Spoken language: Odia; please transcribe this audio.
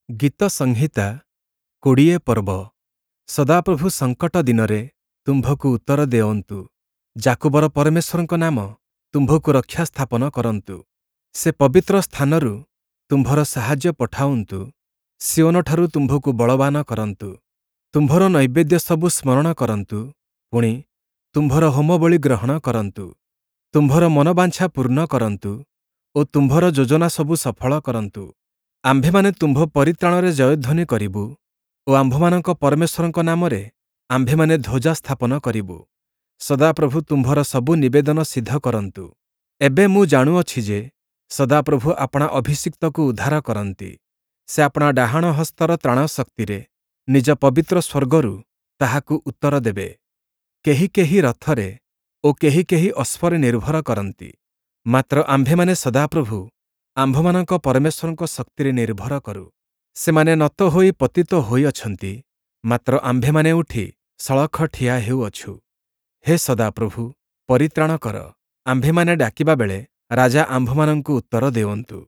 ଗୀତସଂହିତା 20 ପର୍ବ। ସଦାପ୍ରଭୁ ସଙ୍କଟ ଦିନରେ ତୁମ୍ଭକୁ ଉତ୍ତର ଦେଉନ୍ତୁ। ଯାକୁବର ପରମେଶ୍ୱରଙ୍କ ନାମ ତୁମ୍ଭକୁ ରକ୍ଷା ସ୍ଥାପନ କରନ୍ତୁ। ସେ ପବିତ୍ର ସ୍ଥାନରୁ ତୁମ୍ଭର ସାହାଯ୍ୟ ପଠାଉନ୍ତୁ, ସିୟୋନଠାରୁ ତୁମ୍ଭକୁ ବଳବାନ କରନ୍ତୁ। ତୁମ୍ଭର ନୈବେଦ୍ୟ ସବୁ ସ୍ମରଣ କରନ୍ତୁ, ପୁଣି ତୁମ୍ଭର ହୋମବଳି ଗ୍ରହଣ କରନ୍ତୁ। ତୁମ୍ଭର ମନବାଞ୍ଛା ପୂର୍ଣ୍ଣ କରନ୍ତୁ ଓ ତୁମ୍ଭର ଯୋଜନା ସବୁ ସଫଳ କରନ୍ତୁ। ଆମ୍ଭେମାନେ ତୁମ୍ଭ ପରିତ୍ରାଣରେ ଜୟଧ୍ୱନି କରିବୁ ଓ ଆମ୍ଭମାନଙ୍କ ପରମେଶ୍ୱରଙ୍କ ନାମରେ ଆମ୍ଭେମାନେ ଧ୍ୱଜା ସ୍ଥାପନ କରିବୁ। ସଦାପ୍ରଭୁ ତୁମ୍ଭର ସବୁ ନିବେଦନ ସିଦ୍ଧ କରନ୍ତୁ। ଏବେ ମୁଁ ଜାଣୁଅଛି ଯେ, ସଦାପ୍ରଭୁ ଆପଣା ଅଭିଷିକ୍ତକୁ ଉଦ୍ଧାର କରନ୍ତି। ସେ ଆପଣା ଡାହାଣ ହସ୍ତର ତ୍ରାଣ ଶକ୍ତିରେ ନିଜ ପବିତ୍ର ସ୍ୱର୍ଗରୁ ତାହାକୁ ଉତ୍ତର ଦେବେ। କେହି କେହି ରଥରେ ଓ କେହି କେହି ଅଶ୍ୱରେ ନିର୍ଭର କରନ୍ତି, ମାତ୍ର ଆମ୍ଭେମାନେ ସଦାପ୍ରଭୁ ଆମ୍ଭମାନଙ୍କ ପରମେଶ୍ୱରଙ୍କ ଶକ୍ତିରେ ନିର୍ଭର କରୁ। ସେମାନେ ନତ ହୋଇ ପତିତ ହୋଇଅଛନ୍ତି, ମାତ୍ର ଆମ୍ଭେମାନେ ଉଠି ସଳଖ ଠିଆ ହେଉଅଛୁ। ହେ ସଦାପ୍ରଭୁ, ପରିତ୍ରାଣ କର, ଆମ୍ଭେମାନେ ଡାକିବା ବେଳେ ରାଜା ଆମ୍ଭମାନଙ୍କୁ ଉତ୍ତର ଦେଉନ୍ତୁ।